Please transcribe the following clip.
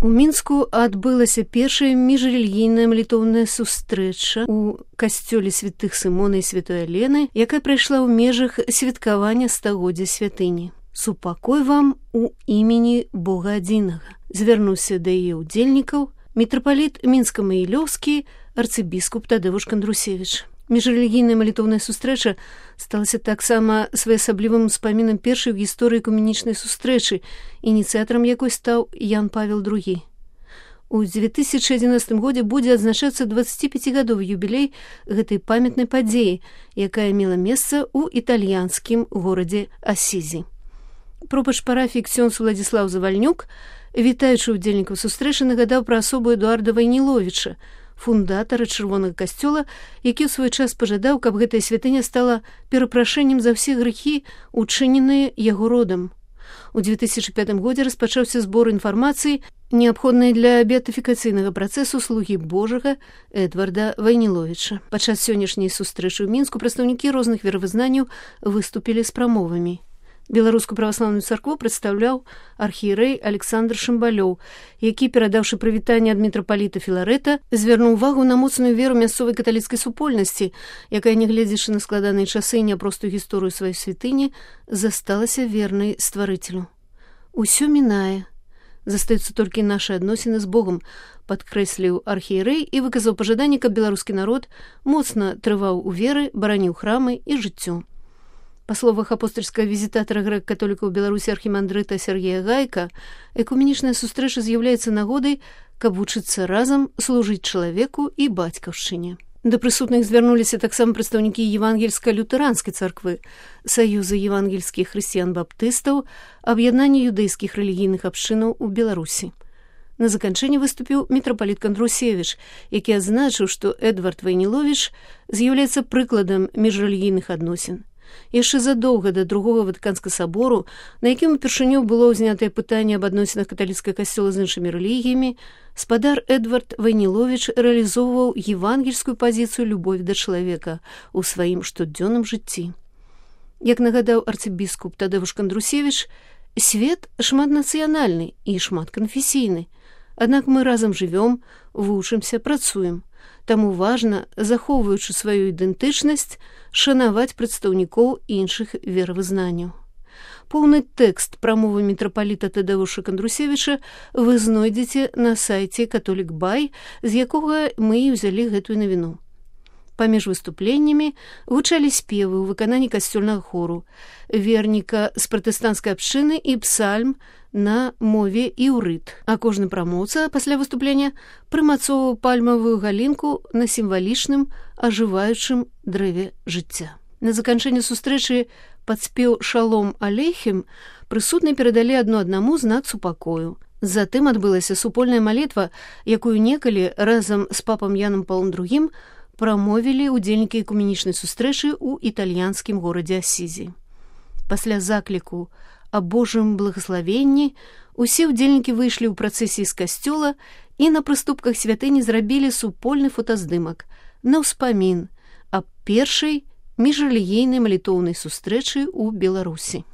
У Мінску адбылася першая міжрэлігійная малітоўная сустрэча ў касцёле святых Сымона і святой Алены, якая прайшла ў межах святкавання стагоддзя святыні. «Супакой вам у імені Бога адзінага», звярнуўся да яе ўдзельнікаў мітрапаліт мінска-магілёўскі арцыбіскуп Тадзеуш Кандрусевіч. Міжрэлігійная малітоўная сустрэча сталася таксама своеасаблівым успамінам першай у гісторыі экуменічнай сустрэчы, ініцыятарам якой стаў Ян Павел II. У 2011 годзе будзе адзначацца 25-гадовы юбілей гэтай памятнай падзеі, якая мела месца ў італьянскім горадзе Асізі. Пропач парафіі ксёндз Уладзіслаў Завальнюк, вітаючы ўдзельнікаў сустрэчы, нагадаў пра асобу Эдуарда Вайніловіча, фундатара чырвонага касцёла, які ў свой час пажадаў, каб гэтая святыня стала перапрашэннем за ўсе грэхі, учыненыя яго родам. У 2005 годзе распачаўся збор інфармацыі, неабходнай для беатыфікацыйнага працэсу слугі Божага Эдварда Вайніловіча. Падчас сённяшняй сустрэчы ў Мінску прадстаўнікі розных веравызнанняў выступілі з прамовамі. Беларускую праваслаўную царкву прадстаўляў архіерэй Александр Шымбалёў, які, перадаўшы прывітанне ад мітрапаліта Філарэта, звярнуў увагу на моцную веру мясцовай каталіцкай супольнасці, якая, нягледзячы на складаныя часы і няпростую гісторыю сваёй святыні, засталася вернай стварыцелю. «Усё мінае. Застаюцца толькі нашы адносіны з Богам», падкрэсліў архіерэй і выказаў пажаданне, каб беларускі народ моцна трываў у веры, бараніў храмы і жыццё. Па словах апостальскага візітатара грэк-католікаў у Беларусі архімандрыта Сергея Гайка, экуменічная сустрэча з'яўляецца нагодай, каб вучыцца разам служыць чалавеку і бацькаўшчыне. Да прысутных звярнуліся таксама прадстаўнікі евангельска-лютэранскай царквы, Саюза евангельскіх хрысціян-баптыстаў, аб'яднання юдэйскіх рэлігійных абшчынаў у Беларусі. На заканчэнне выступіў мітрапаліт Кандрусевіч, які адзначыў, што Эдвард Вайніловіч з'яўляецца прыкладам міжрэлігійных адносін. Яшчэ задоўга да другога Ватыканскага сабору, на якім упершыню было ўзнятае пытанне аб адносінах каталіцкага касцёла з іншымі рэлігіямі, спадар Эдвард Вайніловіч рэалізоўваў евангельскую пазіцыю любові да чалавека ў сваім штодзённым жыцці. Як нагадаў арцыбіскуп Тадзеуш Кандрусевіч, свет шматнацыянальны і шматканфесійны, аднак мы разам жывём, вучымся, працуем. Таму важна, захоўваючы сваю ідэнтычнасць, шанаваць прадстаўнікоў іншых веравызнанняў. Поўны тэкст прамовы мітрапаліта Тадзеуша Кандрусевіча вы знойдзеце на сайце Католік Бай, з якога мы і ўзялі гэтую навіну. Паміж выступленнямі гучалі спевы ў выкананні касцёльнага хору, верніка з пратэстанцкай абшчыны і псальм на мове іўрыт, а кожны прамоўца пасля выступлення прымацоўваў пальмавую галінку на сімвалічным ажываючым дрэве жыцця. На заканчэнне сустрэчы пад спеў «Шалом алейхім» прысутныя перадалі адно аднаму знак супакою. Затым адбылася супольная малітва, якую некалі разам з папам Янам Паўлом II прамовілі ўдзельнікі экуменічнай сустрэчы ў італьянскім горадзе Асізі. Пасля закліку аб Божым благаславенні усе ўдзельнікі выйшлі ў працэсіі з касцёла і на прыступках святыні зрабілі супольны фотаздымак на ўспамін аб першай міжрэлігійнай малітоўнай сустрэчы ў Беларусі.